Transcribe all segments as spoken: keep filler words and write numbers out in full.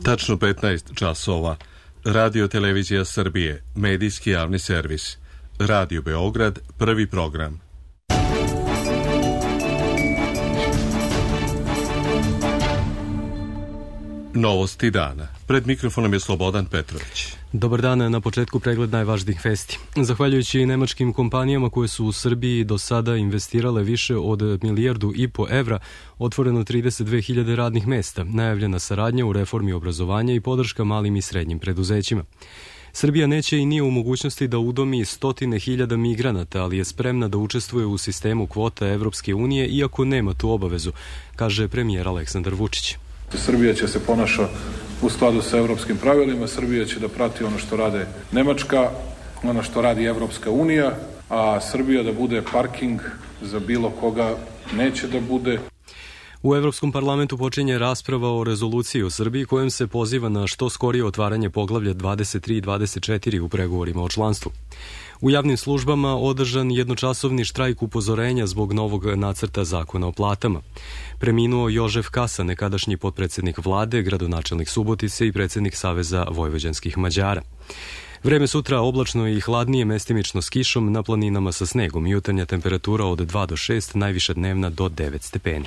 Tačno petnaest časova. Radio Televizija Srbije, medijski javni servis. Radio Beograd, prvi program. Novosti dana. Pred mikrofonom je Slobodan Petrović. Dobar dan, na početku pregled najvažnijih vesti. Zahvaljujući nemačkim kompanijama koje su u Srbiji do sada investirale više od milijardu i po evra, otvoreno trideset dve hiljade radnih mesta, najavljena saradnja u reformi obrazovanja i podrška malim i srednjim preduzećima. Srbija neće i nije u mogućnosti da udomi stotine hiljada migranata, ali je spremna da učestvuje u sistemu kvota Evropske unije, iako nema tu obavezu, kaže premijer Aleksandar Vučić. Srbija će se ponaša u skladu sa evropskim pravilima, Srbija će da prati ono što rade Nemačka, ono što radi Evropska unija, a Srbija da bude parking za bilo koga neće da bude. U Evropskom parlamentu počinje rasprava o rezoluciji o Srbiji kojom se poziva na što skorije otvaranje poglavlja dvadeset tri i dvadeset četiri u pregovorima o članstvu. U javnim službama održan jednočasovni štrajk upozorenja zbog novog nacrta zakona o platama. Preminuo Jožef Kasa, nekadašnji potpredsednik vlade, gradonačelnik Subotice i predsednik Saveza vojvođanskih Mađara. Vreme sutra oblačno i hladnije, mestimično s kišom, na planinama sa snegom. Jutarnja temperatura od dva do šest, najviša dnevna do devet stepeni.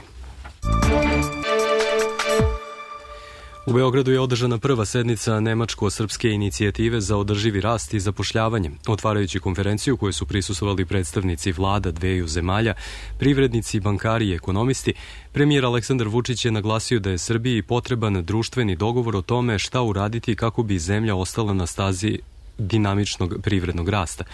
U Beogradu je održana prva sednica Nemačko-srpske inicijative za održivi rast i zapošljavanje. Otvarajući konferenciju koju su prisustvovali predstavnici vlada dveju zemalja, privrednici, bankari i ekonomisti, premijer Aleksandar Vučić je naglasio da je Srbiji potreban društveni dogovor o tome šta uraditi kako bi zemlja ostala na stazi dinamičnog privrednog rasta.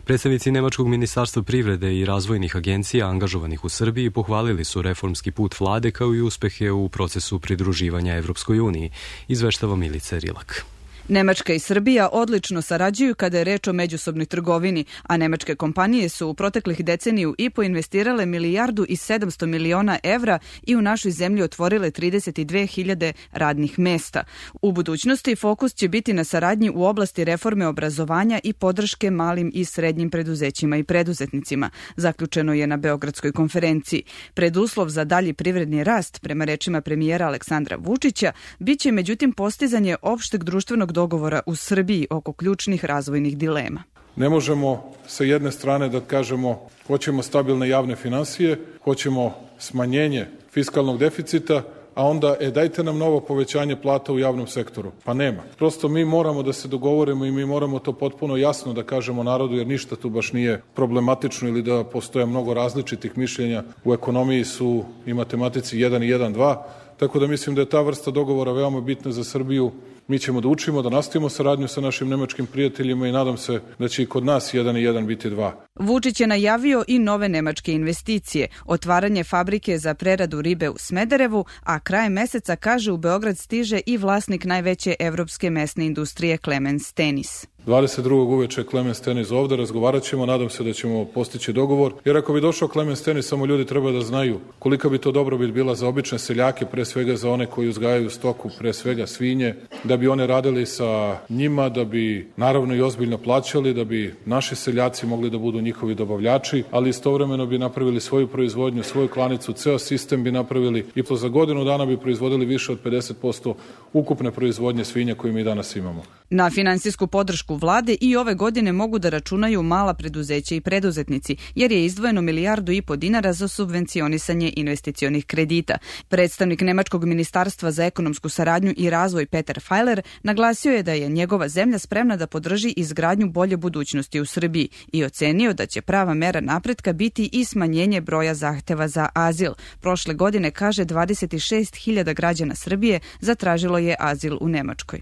Predstavnici Nemačkog ministarstva privrede i razvojnih agencija angažovanih u Srbiji pohvalili su reformski put vlade kao i uspehe u procesu pridruživanja Evropskoj uniji, izveštava Milica Rilak. Nemačka i Srbija odlično sarađuju kada je reč o međusobnoj trgovini, a nemačke kompanije su u proteklih deceniju i po investirale milijardu i sedamsto miliona evra i u našoj zemlji otvorile trideset dve hiljade radnih mesta. U budućnosti fokus će biti na saradnji u oblasti reforme obrazovanja i podrške malim i srednjim preduzećima i preduzetnicima, zaključeno je na Beogradskoj konferenciji. Preduslov za dalji privredni rast, prema rečima premijera Aleksandra Vučića, biće međutim postizanje opšteg društvenog dogovora u Srbiji oko ključnih razvojnih dilema. Ne možemo sa jedne strane da kažemo hoćemo stabilne javne finansije, hoćemo smanjenje fiskalnog deficita, a onda e dajte nam novo povećanje plata u javnom sektoru. Pa nema. Prosto mi moramo da se dogovorimo i mi moramo to potpuno jasno da kažemo narodu, jer ništa tu baš nije problematično ili da postoje mnogo različitih mišljenja. U ekonomiji su i matematici jedan i jedan, dva, tako da mislim da je ta vrsta dogovora veoma bitna za Srbiju. Mi ćemo da učimo, da nastavimo saradnju sa našim nemačkim prijateljima i nadam se da će i kod nas jedan i jedan biti dva. Vučić je najavio i nove nemačke investicije, otvaranje fabrike za preradu ribe u Smederevu, a krajem meseca, kaže, u Beograd stiže i vlasnik najveće evropske mesne industrije Clemens Tenis. dvadeset drugog uveče Clemens Tenis ovde, razgovarat ćemo, nadam se da ćemo postići dogovor, jer ako bi došao Clemens Tenis, samo ljudi treba da znaju kolika bi to dobrobit bila za obične seljake, pre svega za one koji uzgajaju stoku, pre svega svinje, da bi one radili sa njima, da bi naravno i ozbiljno plaćali, da bi naši seljaci mogli da budu njihovi dobavljači, ali istovremeno bi napravili svoju proizvodnju, svoju klanicu, ceo sistem bi napravili i to za godinu dana bi proizvodili više od pedeset posto ukupne proizvodnje svinja koju mi danas imamo. Na finansijsku podršku vlade i ove godine mogu da računaju mala preduzeća i preduzetnici, jer je izdvojeno milijardu i po dinara za subvencionisanje investicionih kredita. Predstavnik Nemačkog ministarstva za ekonomsku saradnju i razvoj Peter Feiler naglasio je da je njegova zemlja spremna da podrži izgradnju bolje budućnosti u Srbiji i ocenio da će prava mera napretka biti i smanjenje broja zahteva za azil. Prošle godine, kaže, dvadeset šest hiljada građana Srbije zatražilo je azil u Nemačkoj.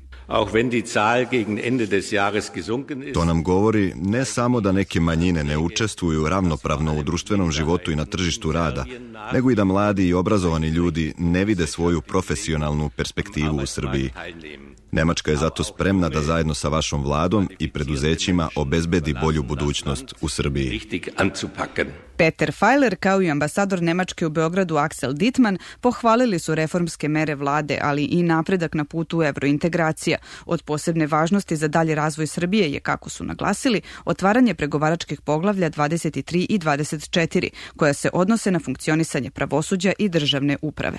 To nam govori ne samo da neke manjine ne učestvuju ravnopravno u društvenom životu i na tržištu rada, nego i da mladi i obrazovani ljudi ne vide svoju profesionalnu perspektivu u Srbiji. Nemačka je zato spremna da zajedno sa vašom vladom i preduzećima obezbedi bolju budućnost u Srbiji. Peter Feiler, kao i ambasador Nemačke u Beogradu Axel Dittmann, pohvalili su reformske mere vlade, ali i napredak na putu evrointegracija. Od posebne važnosti za dalji razvoj Srbije je, kako su naglasili, otvaranje pregovaračkih poglavlja dvadeset tri i dvadeset četiri, koja se odnose na funkcionisanje pravosuđa i državne uprave.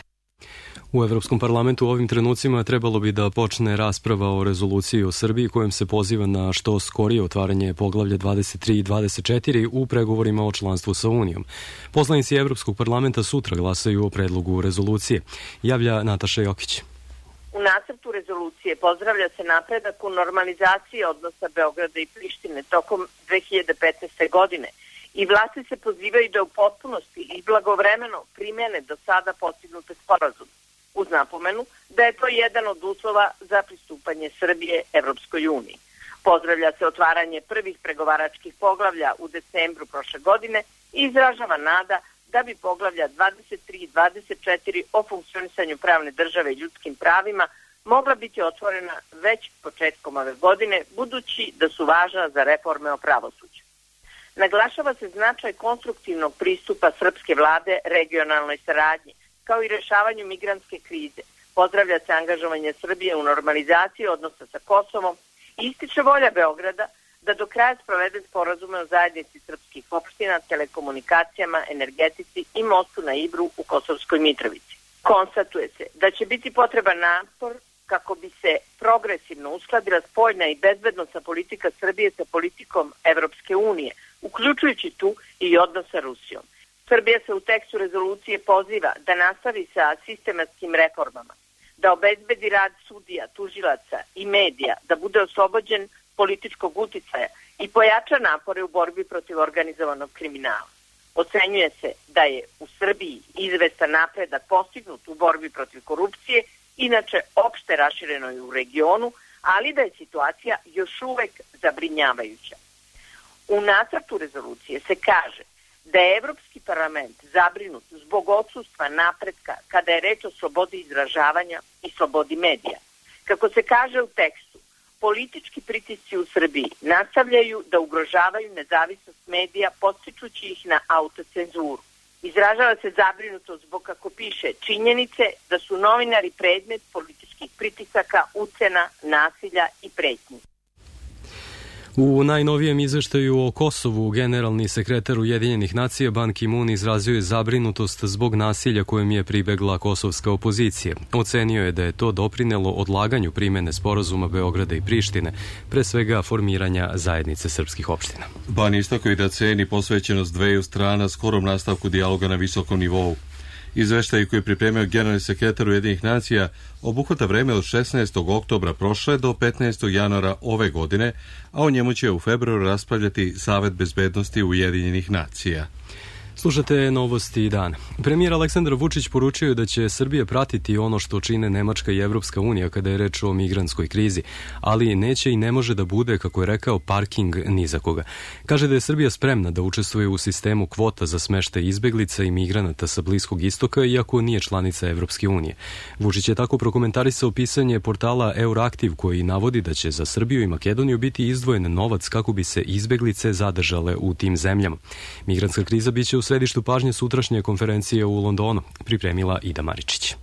U Evropskom parlamentu u ovim trenucima trebalo bi da počne rasprava o rezoluciji o Srbiji kojom se poziva na što skorije otvaranje poglavlja dvadeset tri i dvadeset četiri u pregovorima o članstvu sa Unijom. Poslanici Evropskog parlamenta sutra glasaju o predlogu rezolucije. Javlja Nataša Jokić. U nacrtu rezolucije pozdravlja se napredak u normalizaciji odnosa Beograda i Prištine tokom dve hiljade petnaeste. godine i vlasti se pozivaju da u potpunosti i blagovremeno primjene do sada postignute sporazume, uz napomenu da je to jedan od uslova za pristupanje Srbije Evropskoj uniji. Pozdravlja se otvaranje prvih pregovaračkih poglavlja u decembru prošle godine i izražava nada da bi poglavlja dvadeset tri i dvadeset četiri o funkcionisanju pravne države i ljudskim pravima mogla biti otvorena već početkom ove godine, budući da su važna za reforme o pravosuđu. Naglašava se značaj konstruktivnog pristupa srpske vlade regionalnoj saradnji, kao i rešavanju migrantske krize. Pozdravlja se angažovanje Srbije u normalizaciji odnosa sa Kosovom i ističe volja Beograda da do kraja sprovede sporazume o zajednici srpskih opština, telekomunikacijama, energetici i mostu na Ibru u Kosovskoj Mitrovici. Konstatuje se da će biti potreban napor kako bi se progresivno uskladila spoljna i bezbednosna politika Srbije sa politikom Evropske unije, uključujući tu i odnos sa Rusijom. Srbija se u tekstu rezolucije poziva da nastavi sa sistematskim reformama, da obezbedi rad sudija, tužilaca i medija, da bude oslobođen političkog uticaja i pojača napore u borbi protiv organizovanog kriminala. Ocenjuje se da je u Srbiji izvestan napredak postignut u borbi protiv korupcije, inače opšte raširenoj u regionu, ali da je situacija još uvek zabrinjavajuća. U nacrtu rezolucije se kaže da je Evropski parlament zabrinut zbog odsustva napretka kada je reč o slobodi izražavanja i slobodi medija. Kako se kaže u tekstu, politički pritisci u Srbiji nastavljaju da ugrožavaju nezavisnost medija, podstičući ih na autocenzuru. Izražava se zabrinutost zbog, kako piše, činjenice da su novinari predmet političkih pritisaka, ucena, nasilja i pretnji. U najnovijem izveštaju o Kosovu generalni sekretar Ujedinjenih nacija Ban Ki-moon izrazio je zabrinutost zbog nasilja kojem je pribegla kosovska opozicija. Ocenio je da je to doprinelo odlaganju primene sporazuma Beograda i Prištine, pre svega formiranja zajednice srpskih opština. Ban istakao i da ceni posvećenost dveju strana skorom nastavku dijaloga na visokom nivou. Izveštaj koji je pripremio generalni sekretar Ujedinjenih nacija obuhvata vreme od šesnaestog oktobra prošle do petnaestog januara ove godine, a o njemu će u februaru raspravljati Savet bezbednosti Ujedinjenih nacija. Slušate novosti dana. Premijer Aleksandar Vučić poručio je da će Srbija pratiti ono što čine Nemačka i Evropska unija kada je reč o migrantskoj krizi, ali neće i ne može da bude, kako je rekao, parking ni za koga. Kaže da je Srbija spremna da učestvuje u sistemu kvota za smeštaj izbeglica i migranata sa Bliskog istoka, iako nije članica Evropske unije. Vučić je tako prokomentarisao pisanje portala Euraktiv, koji navodi da će za Srbiju i Makedoniju biti izdvojen novac kako bi se izbeglice zadržale u tim zemljama. Migrantska kriza biće u središtu pažnje sutrašnje konferencije u Londonu, pripremila Ida Maričić.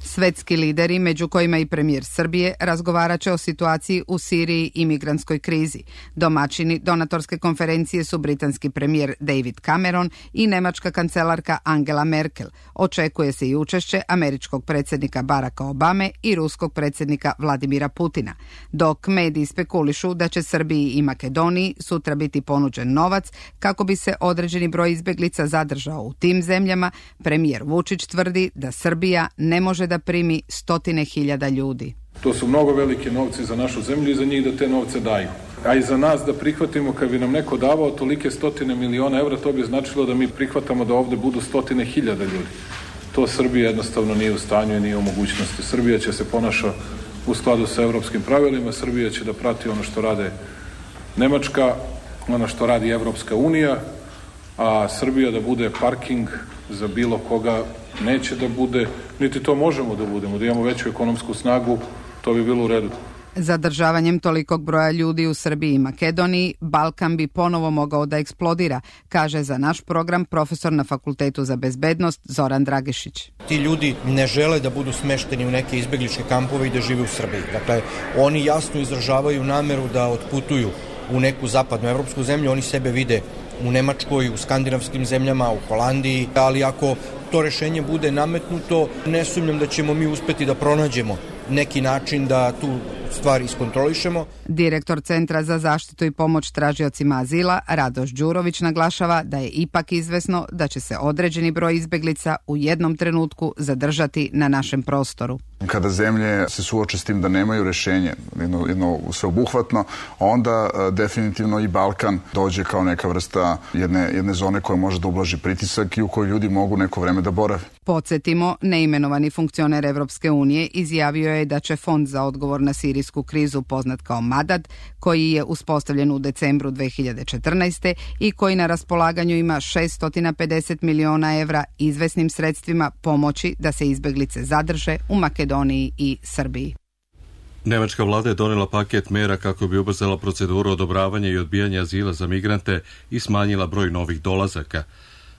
Svetski lideri, među kojima i premijer Srbije, razgovaraće o situaciji u Siriji i migrantskoj krizi. Domaćini donatorske konferencije su britanski premijer David Cameron i nemačka kancelarka Angela Merkel. Očekuje se i učešće američkog predsjednika Baracka Obame i ruskog predsjednika Vladimira Putina. Dok mediji spekulišu da će Srbiji i Makedoniji sutra biti ponuđen novac kako bi se određeni broj izbeglica zadržao u tim zemljama, premijer Vučić tvrdi da Srbija ne može da primi stotine hiljada ljudi. To su mnogo velike novci za našu zemlju i za njih da te novce daju. A i za nas da prihvatimo, kad bi nam neko davao tolike stotine miliona evra, to bi značilo da mi prihvatamo da ovde budu stotine hiljada ljudi. To Srbija jednostavno nije u stanju i nije u mogućnosti. Srbija će se ponaša u skladu sa evropskim pravilima, Srbija će da prati ono što rade Nemačka, ono što radi Evropska unija, a Srbija da bude parking za bilo koga neće da bude, niti to možemo da budemo, da imamo veću ekonomsku snagu, to bi bilo u redu. Zadržavanjem tolikog broja ljudi u Srbiji i Makedoniji, Balkan bi ponovo mogao da eksplodira, kaže za naš program profesor na Fakultetu za bezbednost Zoran Dragišić. Ti ljudi ne žele da budu smešteni u neke izbegličke kampove i da žive u Srbiji. Dakle, oni jasno izražavaju nameru da otputuju u neku zapadnu evropsku zemlju, oni sebe vide u Nemačkoj, u skandinavskim zemljama, u Holandiji, ali ako to rešenje bude nametnuto, ne sumnjam da ćemo mi uspeti da pronađemo neki način da tu stvari iskontrolišemo. Direktor Centra za zaštitu i pomoć tražiocima azila Radoš Đurović naglašava da je ipak izvesno da će se određeni broj izbeglica u jednom trenutku zadržati na našem prostoru. Kada zemlje se suoče s tim da nemaju rešenje, jedno, jedno sveobuhvatno, onda a, definitivno i Balkan dođe kao neka vrsta jedne, jedne zone koja može da ublaži pritisak i u kojoj ljudi mogu neko vreme da borave. Podsjetimo, neimenovani funkcioner Evropske unije izjavio je da će Fond za odgovor na sirijsku krizu, poznat kao Madad, koji je uspostavljen u decembru dve hiljade četrnaeste. i koji na raspolaganju ima šessto pedeset miliona evra izvesnim sredstvima pomoći da se izbeglice zadrže u Makedoniji i Srbiji. Nemačka vlada je donela paket mera kako bi ubrzala proceduru odobravanja i odbijanja azila za migrante i smanjila broj novih dolazaka.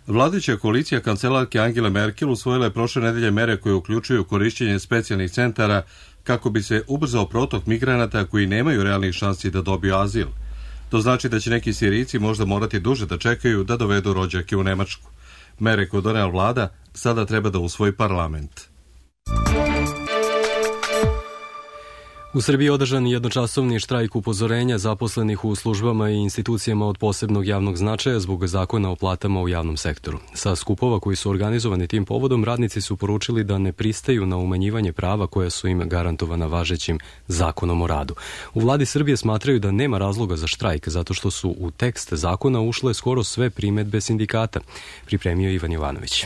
Vladajuća koalicija kancelarke Angele Merkel usvojila je prošle nedelje mere koje uključuju korišćenje specijalnih centara kako bi se ubrzao protok migranata koji nemaju realnih šansi da dobiju azil. To znači da će neki Sirijci možda morati duže da čekaju da dovedu rođake u Nemačku. Mere koje donela vlada sada treba da usvoji parlament. U Srbiji je održan jednočasovni štrajk upozorenja zaposlenih u službama i institucijama od posebnog javnog značaja zbog zakona o platama u javnom sektoru. Sa skupova koji su organizovani tim povodom, radnici su poručili da ne pristaju na umanjivanje prava koja su im garantovana važećim zakonom o radu. U vladi Srbije smatraju da nema razloga za štrajk zato što su u tekst zakona ušle skoro sve primedbe sindikata, pripremio Ivan Jovanović.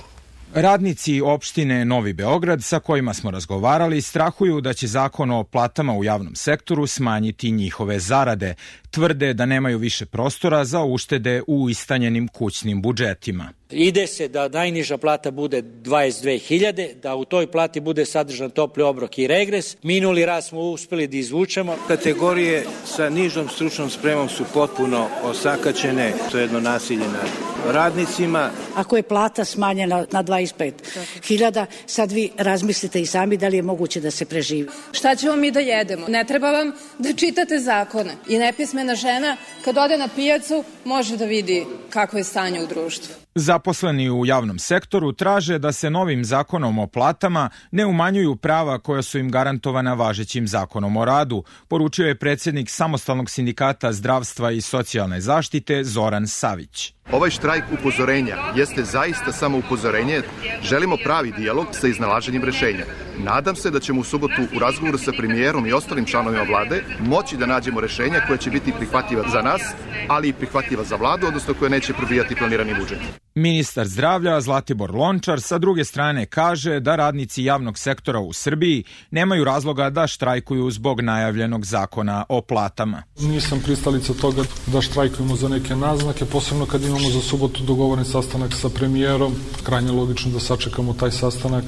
Radnici opštine Novi Beograd sa kojima smo razgovarali strahuju da će zakon o platama u javnom sektoru smanjiti njihove zarade. Tvrde da nemaju više prostora za uštede u istanjenim kućnim budžetima. Ide se da najniža plata bude dvadeset dve hiljade, da u toj plati bude sadržan topli obrok i regres. Minuli raz smo uspeli da izvučemo. Kategorije sa nižom stručnom spremom su potpuno osakaćene. To je jedno nasilje nad radnicima. Ako je plata smanjena na dvadeset pet hiljada, sad vi razmislite i sami da li je moguće da se preživi. Šta ćemo mi da jedemo? Ne treba vam da čitate zakone. I nepismena žena kad ode na pijacu može da vidi kako je stanje u društvu. Zaposleni u javnom sektoru traže da se novim zakonom o platama ne umanjuju prava koja su im garantovana važećim zakonom o radu, poručio je predsjednik Samostalnog sindikata zdravstva i socijalne zaštite Zoran Savić. Ovaj štrajk upozorenja jeste zaista samo upozorenje. Želimo pravi dijalog sa iznalaženjem rešenja. Nadam se da ćemo u subotu u razgovoru sa premijerom i ostalim članovima vlade moći da nađemo rešenja koja će biti prihvatljiva za nas, ali i prihvatljiva za vladu, odnosno koja neće probijati planirani budžet. Ministar zdravlja Zlatibor Lončar sa druge strane kaže da radnici javnog sektora u Srbiji nemaju razloga da štrajkuju zbog najavljenog zakona o platama. Nisam pristalica toga da štrajkujemo za neke naznake, posebno kad imamo za subotu dogovoren sastanak sa premijerom. Krajnje logično da sačekamo taj sastanak.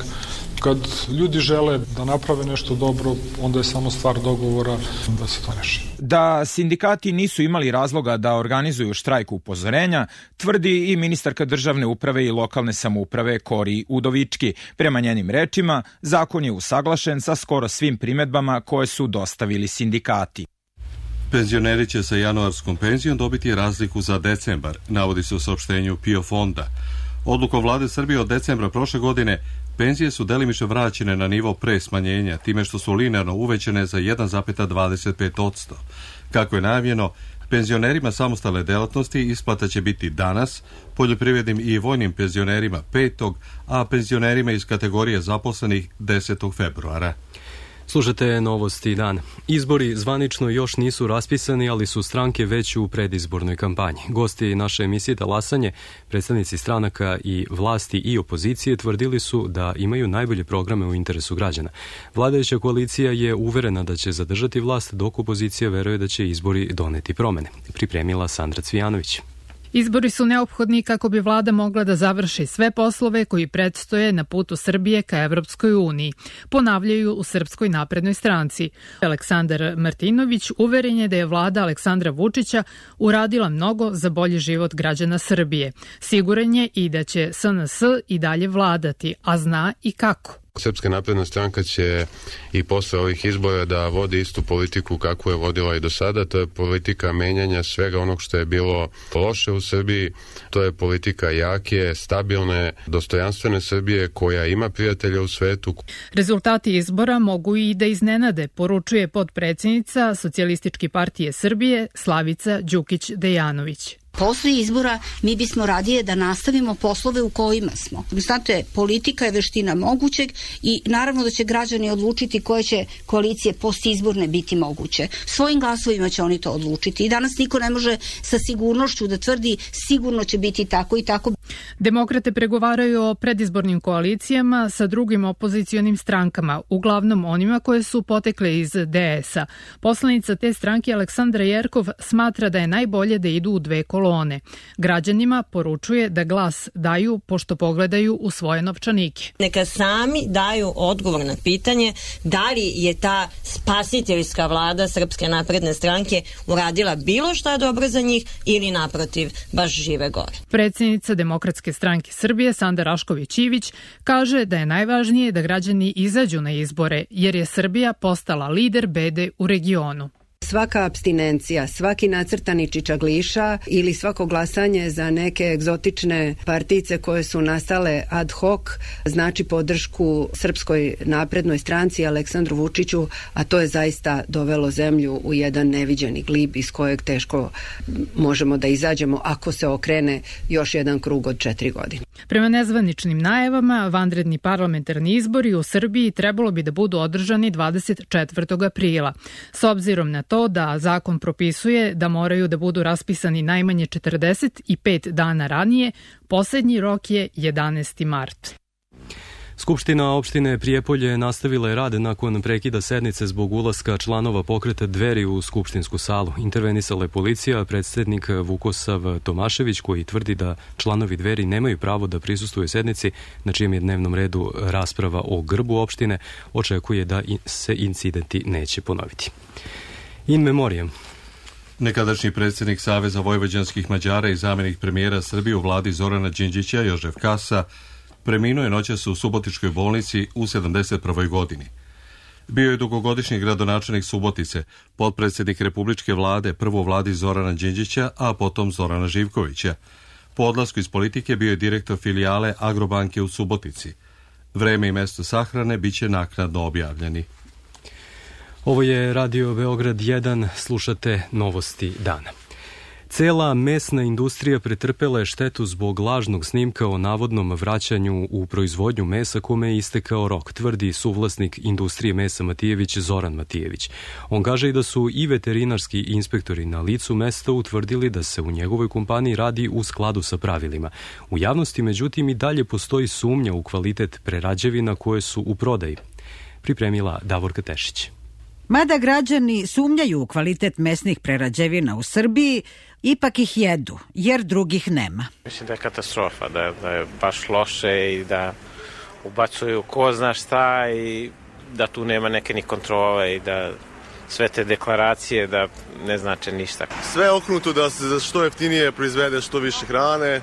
Kad ljudi žele da naprave nešto dobro, onda je samo stvar dogovora da se to reši. Da sindikati nisu imali razloga da organizuju štrajk upozorenja, tvrdi i ministarka državne uprave i lokalne samouprave Kori Udovički. Prema njenim rečima, zakon je usaglašen sa skoro svim primedbama koje su dostavili sindikati. Penzioneri će sa januarskom penzijom dobiti razliku za decembar, navodi se u saopštenju P I O fonda. Odlukom vlade Srbije od decembra prošle godine penzije su delimično vraćene na nivo pre smanjenja, time što su linearno uvećane za jedan zarez dvadeset pet posto. Kako je najavljeno, penzionerima samostalne delatnosti isplata će biti danas, poljoprivrednim i vojnim penzionerima petog, a penzionerima iz kategorije zaposlenih desetog februara. Slušate Novosti dana. Izbori zvanično još nisu raspisani, ali su stranke već u predizbornoj kampanji. Gosti naše emisije Talasanje, predstavnici stranaka i vlasti i opozicije tvrdili su da imaju najbolje programe u interesu građana. Vladajuća koalicija je uverena da će zadržati vlast, dok opozicija veruje da će izbori doneti promene. Pripremila Sandra Cvijanović. Izbori su neophodni kako bi vlada mogla da završi sve poslove koji predstoje na putu Srbije ka Evropskoj uniji, ponavljaju u Srpskoj naprednoj stranci. Aleksandar Martinović uveren je da je vlada Aleksandra Vučića uradila mnogo za bolji život građana Srbije. Siguran je i da će S N S i dalje vladati, a zna i kako. Srpska napredna stranka će i posle ovih izbora da vodi istu politiku kakvu je vodila i do sada. To je politika menjanja svega onog što je bilo loše u Srbiji. To je politika jake, stabilne, dostojanstvene Srbije koja ima prijatelja u svetu. Rezultati izbora mogu i da iznenade, poručuje potpredsjednica Socijalističke partije Srbije Slavica Đukić-Dejanović. Posle izbora mi bismo radije da nastavimo poslove u kojima smo. Znate, politika je veština mogućeg i naravno da će građani odlučiti koje će koalicije postizborne biti moguće. Svojim glasovima će oni to odlučiti i danas niko ne može sa sigurnošću da tvrdi sigurno će biti tako i tako. Demokrate pregovaraju o predizbornim koalicijama sa drugim opozicionim strankama, uglavnom onima koje su potekle iz D S a. Poslanica te stranke Aleksandra Jerkov smatra da je najbolje da idu u dve kolone. Građanima poručuje da glas daju pošto pogledaju u svoje novčanike. Neka sami daju odgovor na pitanje da li je ta spasiteljska vlada Srpske napredne stranke uradila bilo šta dobro za njih ili naprotiv baš žive gore. Predsjednica Demokratske stranke Srbije Sanda Rašković-Ivić kaže da je najvažnije da građani izađu na izbore jer je Srbija postala lider bede u regionu. Svaka apstinencija, svaki nacrtani čičagliša ili svako glasanje za neke egzotične partice koje su nastale ad hoc znači podršku Srpskoj naprednoj stranci Aleksandru Vučiću, a to je zaista dovelo zemlju u jedan neviđeni glib iz kojeg teško možemo da izađemo ako se okrene još jedan krug od četiri godine. Prema nezvaničnim najavama, vanredni parlamentarni izbori u Srbiji trebalo bi da budu održani dvadeset četvrtog aprila. S obzirom na to da zakon propisuje da moraju da budu raspisani najmanje četrdeset pet dana ranije, posljednji rok je jedanaesti mart. Skupština opštine Prijepolje nastavila je rad nakon prekida sednice zbog ulaska članova pokreta Dveri u skupštinsku salu. Intervenisala je policija, predsjednik Vukosav Tomašević koji tvrdi da članovi Dveri nemaju pravo da prisustvuju sednici na čijem je dnevnom redu rasprava o grbu opštine, očekuje da se incidenti neće ponoviti. In memoriam. Nekadašnji predsjednik Saveza vojvođanskih Mađara i zamjenik premijera Srbije u vladi Zorana Đinđića, Jožef Kasa, preminuo je noćas u Subotičkoj bolnici u sedamdeset prvoj godini. Bio je dugogodišnji gradonačelnik Subotice, potpredsjednik Republičke vlade, prvo vladi Zorana Đinđića, a potom Zorana Živkovića. Po odlasku iz politike bio je direktor filijale Agrobanke u Subotici. Vreme i mesto sahrane biće naknadno objavljeni. Ovo je Radio Beograd jedan, slušate novosti dana. Cela mesna industrija pretrpela je štetu zbog lažnog snimka o navodnom vraćanju u proizvodnju mesa kome je istekao rok, tvrdi suvlasnik industrije mesa Matijević Zoran Matijević. On kaže i da su i veterinarski inspektori na licu mesta utvrdili da se u njegovoj kompaniji radi u skladu sa pravilima. U javnosti, međutim, i dalje postoji sumnja u kvalitet prerađevina koje su u prodaji. Pripremila Davorka Tešić. Mada građani sumnjaju u kvalitet mesnih prerađevina u Srbiji, ipak ih jedu, jer drugih nema. Mislim da je katastrofa, da je, da je baš loše i da ubacuju ko zna šta i da tu nema neke ni kontrole i da sve te deklaracije da ne znače ništa. Sve je okrenuto da se za što jeftinije proizvede što više hrane,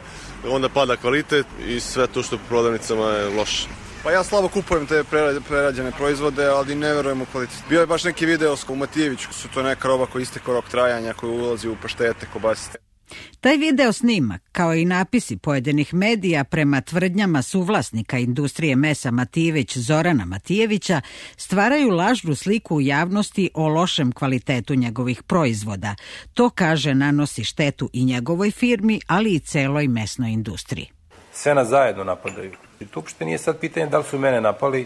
onda pada kvalitet i sve to što po prodavnicama je loše. Pa ja slabo kupujem te prerađene proizvode, ali ne verujem u kvalitet. Bio je baš neki video u Matijeviću, su to neka roba koja isteko rok trajanja, koja ulazi u paštete, kobasice. Taj video snimak, kao i napisi pojedinih medija prema tvrdnjama suvlasnika industrije mesa Matijević Zorana Matijevića, stvaraju lažnu sliku u javnosti o lošem kvalitetu njegovih proizvoda. To, kaže, nanosi štetu i njegovoj firmi, ali i celoj mesnoj industriji. Sve nas zajedno napadaju. I to uopšte nije sad pitanje da li su mene napali.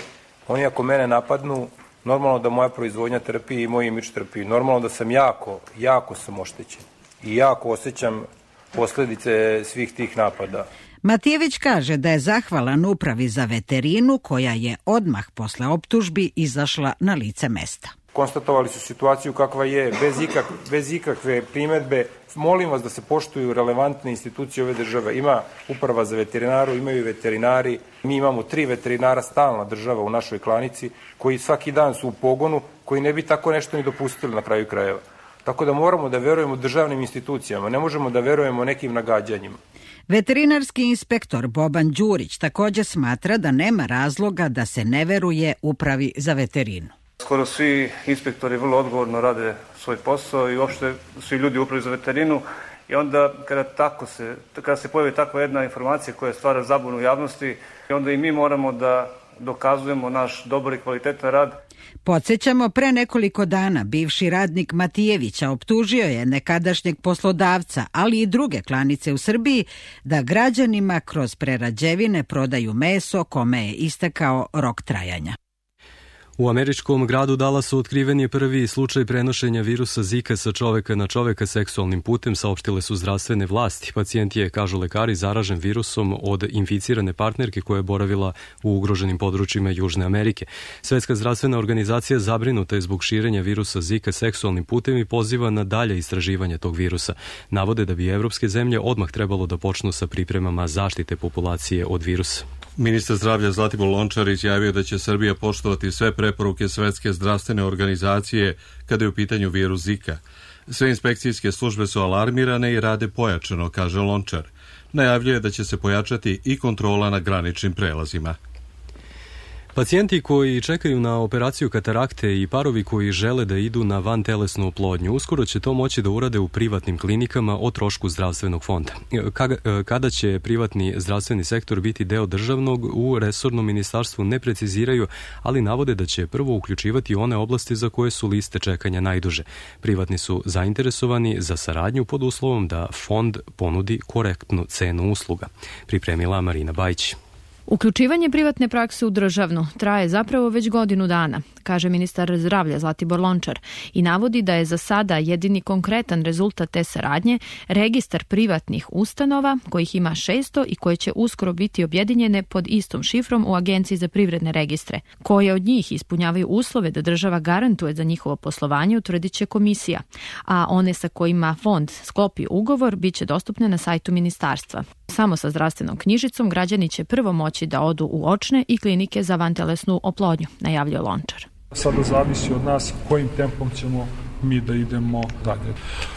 Oni ako mene napadnu, normalno da moja proizvodnja trpi i moj imidž trpi. Normalno da sam jako, jako sam oštećen. I jako osjećam posljedice svih tih napada. Matijević kaže da je zahvalan upravi za veterinu koja je odmah posle optužbi izašla na lice mesta. Konstatovali su situaciju kakva je, bez, ikak, bez ikakve primedbe. Molim vas da se poštuju relevantne institucije ove države. Ima uprava za veterinaru, imaju veterinari. Mi imamo tri veterinara, stalna država u našoj klanici, koji svaki dan su u pogonu, koji ne bi tako nešto ni dopustili na kraju krajeva. Tako da moramo da verujemo državnim institucijama, ne možemo da verujemo nekim nagađanjima. Veterinarski inspektor Boban Đurić također smatra da nema razloga da se ne veruje upravi za veterinu. Skoro svi inspektori vrlo odgovorno rade svoj posao i uopšte svi ljudi u upravi za veterinu. I onda kada, tako se, kada se pojavi takva jedna informacija koja stvara zabunu u javnosti, onda i mi moramo da dokazujemo naš dobar i kvalitetan rad. Podsjećamo, pre nekoliko dana bivši radnik Matijevića optužio je nekadašnjeg poslodavca, ali i druge klanice u Srbiji, da građanima kroz prerađevine prodaju meso kome je istekao rok trajanja. U američkom gradu Dallasu otkriven je prvi slučaj prenošenja virusa Zika sa čoveka na čoveka seksualnim putem, saopštile su zdravstvene vlasti. Pacijent je, kažu lekari, zaražen virusom od inficirane partnerke koja je boravila u ugroženim područjima Južne Amerike. Svetska zdravstvena organizacija zabrinuta je zbog širenja virusa Zika seksualnim putem i poziva na dalje istraživanje tog virusa. Navode da bi evropske zemlje odmah trebalo da počnu sa pripremama zaštite populacije od virusa. Ministar zdravlja Zlatibor Lončar izjavio da će Srbija poštovati sve preporuke Svetske zdravstvene organizacije kada je u pitanju virus Zika. Sve inspekcijske službe su alarmirane i rade pojačano, kaže Lončar. Najavljuje da će se pojačati i kontrola na graničnim prelazima. Pacijenti koji čekaju na operaciju katarakte i parovi koji žele da idu na vantelesnu oplodnju uskoro će to moći da urade u privatnim klinikama o trošku zdravstvenog fonda. Kada će privatni zdravstveni sektor biti deo državnog, u resornom ministarstvu ne preciziraju, ali navode da će prvo uključivati one oblasti za koje su liste čekanja najduže. Privatni su zainteresovani za saradnju pod uslovom da fond ponudi korektnu cenu usluga. Pripremila Marina Bajić. Uključivanje privatne prakse u državnu traje zapravo već godinu dana, kaže ministar zdravlja Zlatibor Lončar i navodi da je za sada jedini konkretan rezultat te saradnje registar privatnih ustanova, kojih ima šesto i koje će uskoro biti objedinjene pod istom šifrom u Agenciji za privredne registre. Koje od njih ispunjavaju uslove da država garantuje za njihovo poslovanje, utvrdit će komisija, a one sa kojima fond sklopi ugovor bit će dostupne na sajtu ministarstva. Samo sa zdravstvenom knjižicom građani će prvo moći da odu u očne i klinike za vantelesnu oplodnju, najavljuje Lončar. Sada zavisi od nas kojim tempom ćemo mi da idemo dalje.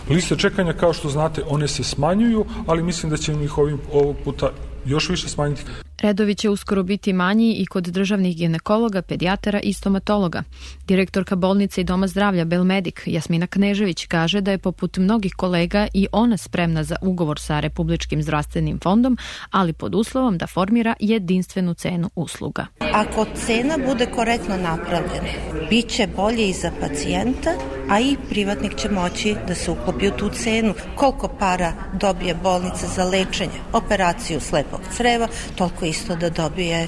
Liste čekanja, kao što znate, one se smanjuju, ali mislim da ćemo ih ovim, ovog puta još više smanjiti. Redovi će uskoro biti manji i kod državnih ginekologa, pedijatara i stomatologa. Direktorka bolnice i doma zdravlja Belmedik Jasmina Knežević kaže da je poput mnogih kolega i ona spremna za ugovor sa Republičkim zdravstvenim fondom, ali pod uslovom da formira jedinstvenu cenu usluga. Ako cena bude korektno napravljena, bit će bolje i za pacijenta, a i privatnik će moći da se uklopi u tu cenu. Koliko para dobije bolnica za lečenje, operaciju slepog creva, toliko isto da dobije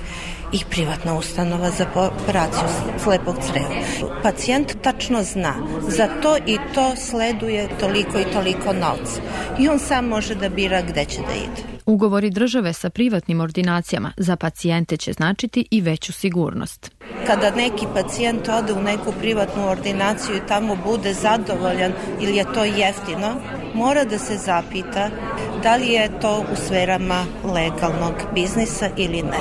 i privatna ustanova za operaciju slepog creva. Pacijent tačno zna, za to i to sleduje toliko i toliko novca. I on sam može da bira gde će da ide. Ugovori države sa privatnim ordinacijama za pacijente će značiti i veću sigurnost. Kada neki pacijent ode u neku privatnu ordinaciju i tamo bude zadovoljan ili je to jeftino, mora da se zapita da li je to u sferama legalnog biznisa ili ne.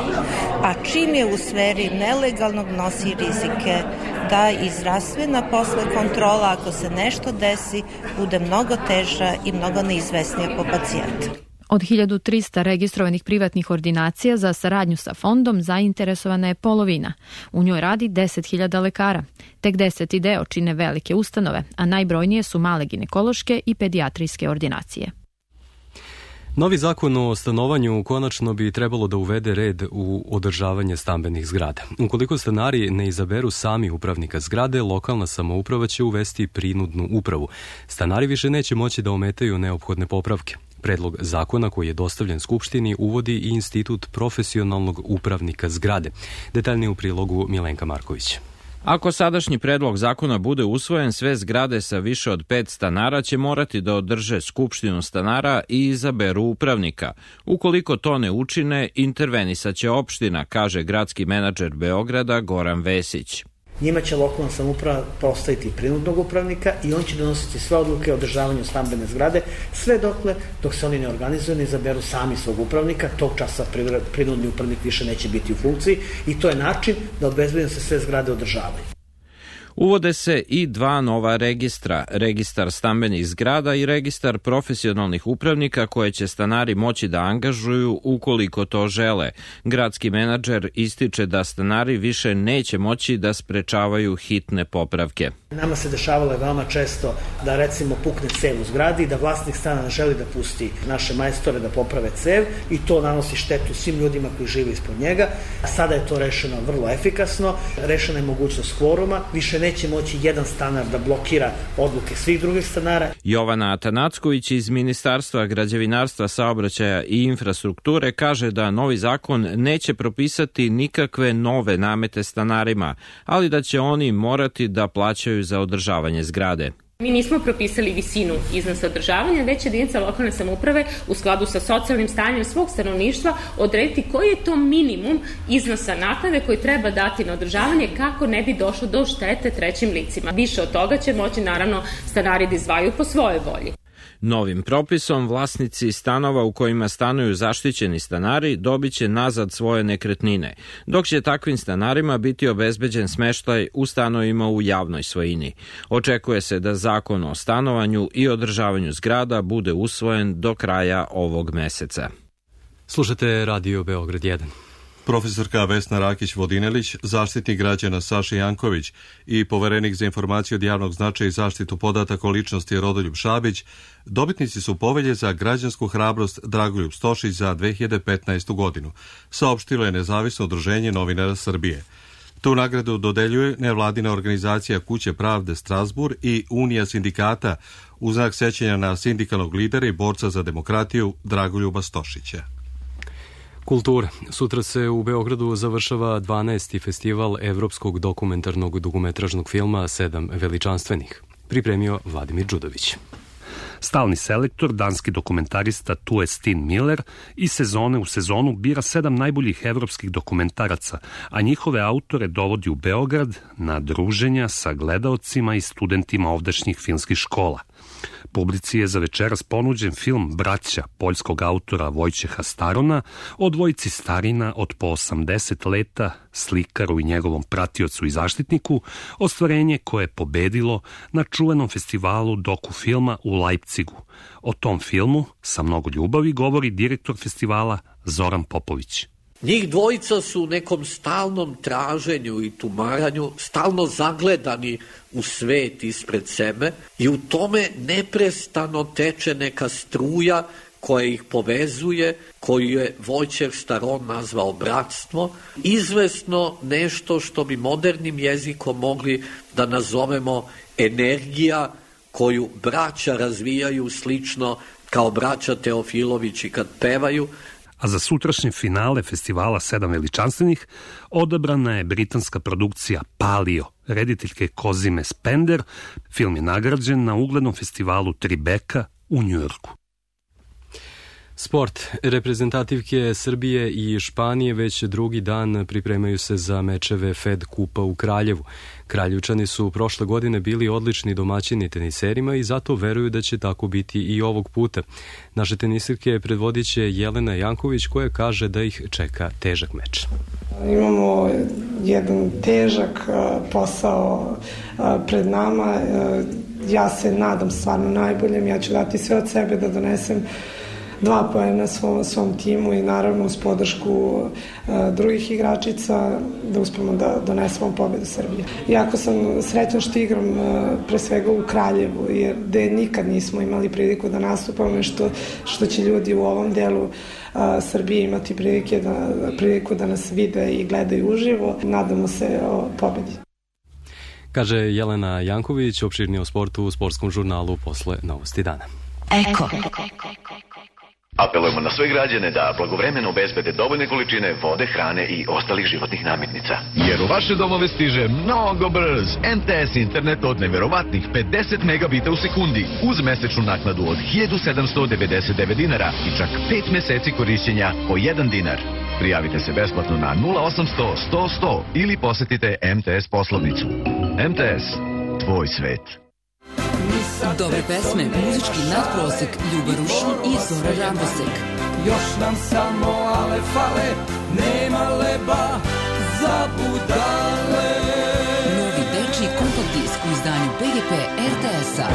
A čim je u sferi nelegalnog, nosi rizike da i zdravstvena posle kontrola, ako se nešto desi, bude mnogo teža i mnogo neizvesnija po pacijenta. Od hiljadu trista registrovanih privatnih ordinacija za saradnju sa fondom zainteresovana je polovina. U njoj radi deset hiljada lekara. Tek deseti deo čine velike ustanove, a najbrojnije su male ginekološke i pedijatrijske ordinacije. Novi zakon o stanovanju konačno bi trebalo da uvede red u održavanje stambenih zgrada. Ukoliko stanari ne izaberu sami upravnika zgrade, lokalna samouprava će uvesti prinudnu upravu. Stanari više neće moći da ometaju neophodne popravke. Predlog zakona koji je dostavljen Skupštini uvodi i institut profesionalnog upravnika zgrade. Detaljnije u prilogu Milenka Marković. Ako sadašnji predlog zakona bude usvojen, sve zgrade sa više od pet stanara će morati da održe skupštinu stanara i izaberu upravnika. Ukoliko to ne učine, intervenisaće opština, kaže gradski menadžer Beograda Goran Vesić. Njima će lokalna samouprava postaviti prinudnog upravnika i on će donositi sve odluke o održavanju stambene zgrade, sve dokle dok se oni ne organizuju, ne izaberu sami svog upravnika, tog časa prinudni upravnik više neće biti u funkciji i to je način da obezbedimo se sve zgrade održavaju. Uvode se i dva nova registra, registar stambenih zgrada i registar profesionalnih upravnika koje će stanari moći da angažuju ukoliko to žele. Gradski menadžer ističe da stanari više neće moći da sprečavaju hitne popravke. Nama se dešavalo je veoma često da recimo pukne cev u zgradi, da vlasnik stana ne želi da pusti naše majstore da poprave cev i to nanosi štetu svim ljudima koji žive ispod njega. A sada je to rešeno vrlo efikasno, rešena je mogućnost kvoruma, više neće moći jedan stanar da blokira odluke svih drugih stanara. Jovana Atanacković iz Ministarstva građevinarstva, saobraćaja i infrastrukture kaže da novi zakon neće propisati nikakve nove namete stanarima, ali da će oni morati da plaćaju za održavanje zgrade. Mi nismo propisali visinu iznosa održavanja, već jedinica lokalne samouprave u skladu sa socijalnim stanjem svog stanovništva odrediti koji je to minimum iznosa naknade koji treba dati na održavanje kako ne bi došlo do štete trećim licima. Više od toga će moći naravno stanari da izdvajaju po svojoj volji. Novim propisom vlasnici stanova u kojima stanuju zaštićeni stanari dobit će nazad svoje nekretnine, dok će takvim stanarima biti obezbeđen smeštaj u stanovima u javnoj svojini. Očekuje se da zakon o stanovanju i održavanju zgrada bude usvojen do kraja ovog meseca. Slušate Radio Beograd jedan. Profesorka Vesna Rakić-Vodinelić, zaštitnik građana Saša Janković i poverenik za informaciju od javnog značaja i zaštitu podataka o ličnosti Rodoljub Šabić dobitnici su povelje za građansku hrabrost Dragoljub Stošić za dve hiljade petnaestu. godinu, saopštilo je Nezavisno udruženje novinara Srbije. Tu nagradu dodeljuje nevladina organizacija Kuće pravde Strasbourg i Unija sindikata u znak sećanja na sindikalnog lidera i borca za demokratiju Dragoljuba Stošića. Kultura. Sutra se u Beogradu završava dvanaesti festival evropskog dokumentarnog dugometražnog filma Sedam veličanstvenih. Pripremio Vladimir Đudović. Stalni selektor, danski dokumentarista Tue Stin Miller, iz sezone u sezonu bira sedam najboljih evropskih dokumentaraca, a njihove autore dovodi u Beograd na druženja sa gledaocima i studentima ovdašnjih filmskih škola. Publici je za večeras ponuđen film Braća poljskog autora Vojčeha Starona o dvojici starina od po osamdeset leta, slikaru i njegovom pratiocu i zaštitniku, ostvarenje koje je pobedilo na čuvenom festivalu doku filma u Leipzigu. O tom filmu sa mnogo ljubavi govori direktor festivala Zoran Popović. Njih dvojica su u nekom stalnom traženju i tumaranju, stalno zagledani u svet ispred sebe i u tome neprestano teče neka struja koja ih povezuje, koju je Vojčeh Staron nazvao bratstvo, izvesno nešto što bi modernim jezikom mogli da nazovemo energija koju braća razvijaju slično kao braća Teofilovići kad pevaju. A za sutrašnje finale festivala Sedam veličanstvenih odabrana je britanska produkcija Palio, rediteljke Kozime Spender. Film je nagrađen na uglednom festivalu Tribeca u Njujorku. Sport. Reprezentativke Srbije i Španije već drugi dan pripremaju se za mečeve Fed kupa u Kraljevu. Kraljevčani su prošle godine bili odlični domaćini teniserima i zato veruju da će tako biti i ovog puta. Naše tenisirke predvodit će Jelena Janković koja kaže da ih čeka težak meč. Imamo jedan težak posao pred nama. Ja se nadam stvarno najboljem. Ja ću dati sve od sebe da donesem dva poena svom, svom timu i naravno uz podršku uh, drugih igračica da uspemo da donesemo pobedu Srbije. Jako sam srećna što igram uh, pre svega u Kraljevu, jer gde nikad nismo imali priliku da nastupamo i što, što će ljudi u ovom delu uh, Srbije imati prilike da, priliku da nas vide i gledaju uživo. Nadamo se o pobedi. Kaže Jelena Janković, opširnije o sportu u sportskom žurnalu posle Novosti dana. Eko. Apelujemo na sve građane da blagovremeno obezbede dovoljne količine vode, hrane i ostalih životnih namirnica. Jer u vaše domove stiže mnogo brz M T S internet od neverovatnih pedeset megabita u sekundi uz mesečnu naknadu od hiljadu sedamsto devedeset devet dinara i čak pet meseci korišćenja po jedan dinar. Prijavite se besplatno na nula osamsto sto sto ili posetite M T S poslovnicu. M T S, tvoj svet. Dobre pesme, muzički nadprosek, Ljuba Rušin i Zora Rambosek. Još nam samo ale fale, nema leba za budale. Novi dečiji kompakt er te es-a.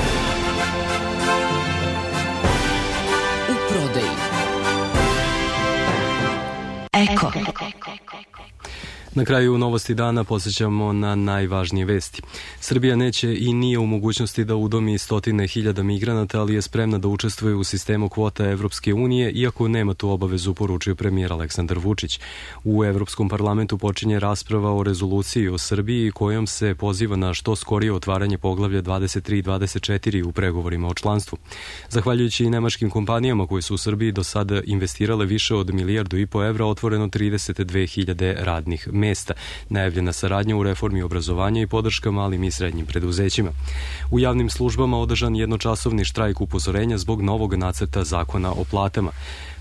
U prodaji. Eko. Na kraju novosti dana posjećamo na najvažnije vesti. Srbija neće i nije u mogućnosti da udomi stotine hiljada migranata, ali je spremna da učestvuje u sistemu kvota Evropske unije, iako nema tu obavezu, poručio premijer Aleksandar Vučić. U Evropskom parlamentu počinje rasprava o rezoluciji o Srbiji kojom se poziva na što skorije otvaranje poglavlja dvadeset tri i dvadeset četiri u pregovorima o članstvu. Zahvaljujući i nemačkim kompanijama koje su u Srbiji do sada investirale više od milijardu i po evra, otvoreno trideset dve hiljade radnih mesta. mesta. Najavljena saradnja u reformi obrazovanja i podrška malim i srednjim preduzećima. U javnim službama održan jednočasovni štrajk upozorenja zbog novog nacrta zakona o platama.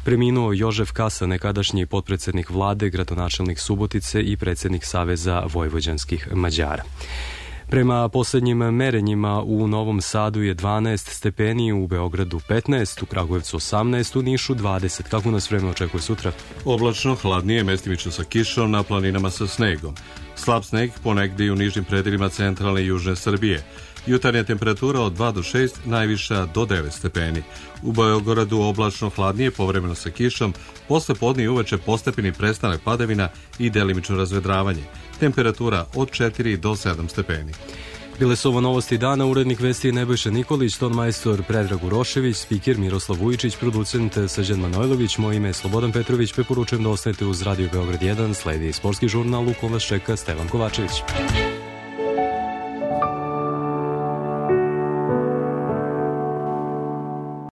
Preminuo Jožef Kasa, nekadašnji potpredsednik vlade, gradonačelnik Subotice i predsednik Saveza vojvođanskih Mađara. Prema poslednjim merenjima u Novom Sadu je dvanaest stepeni, u Beogradu petnaest, u Kragujevcu osamnaest, u Nišu dvadeset. Kako nas vreme očekuje sutra? Oblačno, hladnije, mestimično sa kišom, na planinama sa snegom. Slab sneg ponegde i u nižim predelima centralne i južne Srbije. Jutarnja temperatura od dva do šest, najviša do devet stepeni. U Beogradu oblačno, hladnije, povremeno sa kišom, posle podne i uveče postepeni prestanak padavina i delimično razvedravanje. Temperatura od četiri do sedam stepeni. Bile su ovo novosti dana, urednik vesti Nebojša Nikolić, ton majstor Predrag Urošević, spiker Miroslav Vujičić, producent Srđan Manojlović, moje ime je Slobodan Petrović, preporučujem da ostanete uz Radio Beograd jedan, sledi sportski žurnal u kom vas čeka Stevan Kovačević.